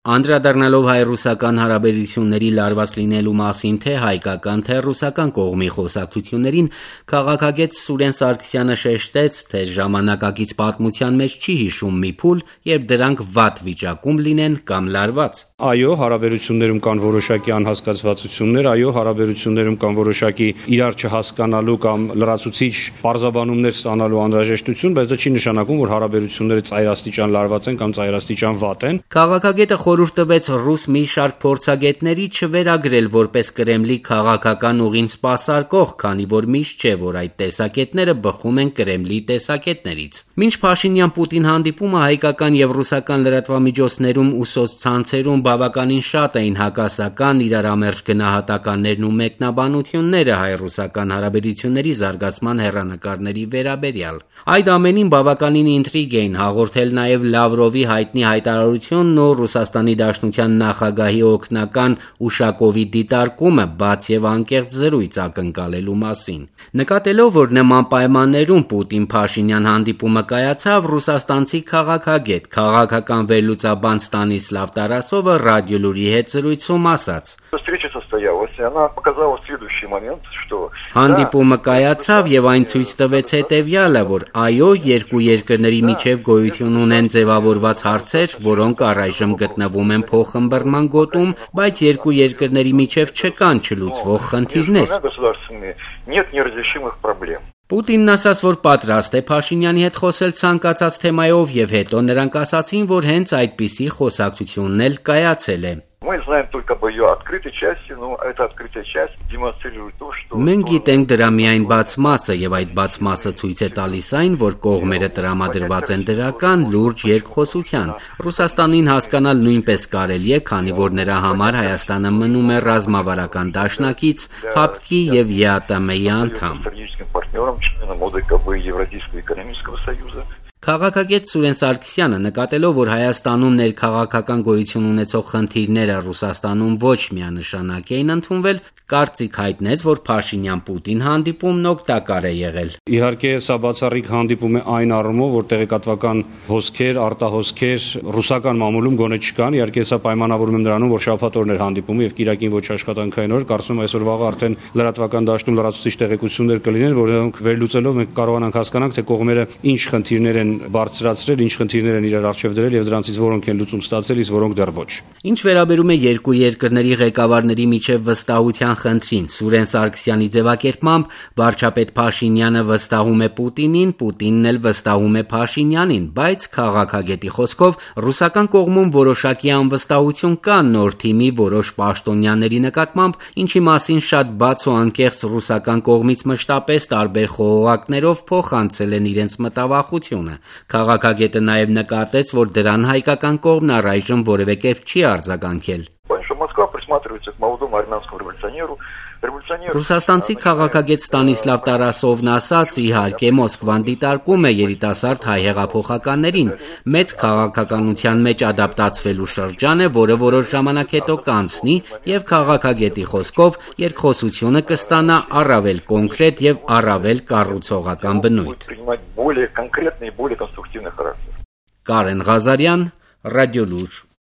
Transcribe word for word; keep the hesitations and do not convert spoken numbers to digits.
Անդրադառնալով հայ-ռուսական հարաբերությունների լարված լինելու մասին թե հայկական, թե ռուսական կողմի խոսակցություններին, քաղաքագետ Սուրեն Սարգսյանը շեշտեց, թե ժամանակակից պատմության մեջ չի հիշում մի փուլ, երբ դրանք վատ վիճակում լինեն կամ լարված։ Այո, հարաբերություններում կան որոշակի անհասկացվածություններ, այո, հարաբերություններում կան որոշակի իրար չհասկանալու կամ լրացուցիչ պարզաբանումներ ստանալու անհրաժեշտություն, բայց դա չի նշանակում, որ հարաբերությունները ծայրաստիճան լարված են կամ ծայրաստիճան վատ են։ Քաղաքագետը խորհուրդ տվեց ռուս մի շարք փորձագետների չվերագրել որպես Կրեմլի քաղաքական ուղին սպասարկող, քանի որ միշտ չէ, որ այդ տեսակետները բխում են Կրեմլի տեսակետներից։ Մինչ Փաշինյան-Պուտին հանդիպումը հայկական եւ ռուսական լրատվամիջոցներում ու սոցցանցերում բավականին շատ էին հակասական, իրարամերժ գնահատականներն ու մեկնաբանությունները հայ-ռուսական հարաբերությունների զարգացման հեռանկարների վերաբերյալ։ Այդ ամենին բավականին ինտրիգ էին հաղորդել նաև Լավրովի հայտնի հայտարարությունն ու Ռուսաստանի Դաշնության նախագահի օգնական Ուշակովի դիտարկումը բաց եւ անկեղծ զրույց ակնկալելու մասին։ Նկատելով, որ նման պայմաններում Պուտին-Փաշինյան հանդիպումը կայացավ, ռուսաստանցի քաղաքագետ, քաղաքական վերլուծաբան Ստանիսլավ Տարասովը ռադիոլուրի հետ զրույցում ասաց. Հանդիպումը կայացավ եւ այն ցույց տվեց հետեւյալը, որ այո, երկու երկրների միջև գոյություն ունեն ձևավորված հարցեր, որոնք առայժմ գտնվում են փոխըմբռնման գոտում, բայց երկու երկրների միջև չկան չլուծվող խնդիրներ։ Պուտինն ասաց, որ պատրաստ է Փաշինյանի հետ խոսել ցանկացած թեմայով եւ հետո նրանք ասացին, որ հենց այդպիսի խոսակցությունն էլ կայացել է։ Մենք գիտենք դրա միայն բաց մասը եւ այդ բաց մասը ցույց է տալիս այն, որ կողմերը տրամադրված են դրական լուրջ երկխոսության։ Ռուսաստանին հասկանալ նույնպես կարելի է, քանի որ նրա համար Հայաստանը մնում է ռազմավարական դաշնակից, ՀԱՊԿ-ի եւ ԵԱՏՄ-ի անդամ։ Քաղաքագետ Սուրեն Սարգսյանը, նկատելով, որ Հայաստանում ներքաղաքական գոյություն ունեցող խնդիրները Ռուսաստանում ոչ միանշանակ էին ընդունվել, կարծիք հայտնեց, որ Փաշինյան-Պուտին հանդիպումն օգտակար է եղել։ Իհարկե, սա բացառիկ հանդիպում է այն առումով, որ տեղեկատվական հոսքեր, արտահոսքեր ռուսական մամուլում գոնե չկան։ Իհարկե, սա պայմանավորում եմ նրանում, որ շաբաթ օրն էր հանդիպումը եւ կիրակին ոչ աշխատանքային օր, կարծում եմ այսօր վաղը արդեն լրատվական դաշտում լրացուցիչ տեղեկություններ կլինեն, որոնք վերլուծելով մենք կարողանանք հասկանանք, թե կողմերը ինչ խնդիրներ են բարձրացրել, ինչ խնդիրներ են իրար առջև դրել եւ դրանցից որոնք են լուծում ստացել, իսկ որոնք դեռ ոչ։ Ինչ վերաբերում է երկու երկրների ղեկավարների միջև վստահության խնդրին, Սուրեն Սարգսյանի ձևակերպմամբ վարչապետ Փաշինյանը վստահում է Պուտինին, Պուտինն էլ վստահում է Փաշինյանին, բայց քաղաքագետի խոսքով ռուսական կողմում որոշակի անվստահություն կա նոր թիմի որոշ պաշտոնյաների նկատմամբ, ինչի մասին շատ բաց ու անկեղծ ռուսական կողմից մշտապես տարբեր խողովակներով փոխանցել են իրենց մտավախությունը։ Քաղաքագետը նաև նկատեց, որ դրան հայկական կողմն առայժմ որևէ կերպ չի արձագանքել։ Ռուսաստանցի քաղաքագետ Ստանիսլավ Տարասովն ասաց, իհարկե Մոսկվան դիտարկում է երիտասարդ հայ հեղափոխականներին, մեծ քաղաքականության մեջ ադապտացվելու շրջան է, որը որոշ ժամանակ հետո կանցնի եւ քաղաքագետի խոսքով երկխոսությունը կստանա առավել կոնկրետ եւ առավել կառուցողական բնույթ։ Կարեն Ղազարյան, Ռադիոլուր։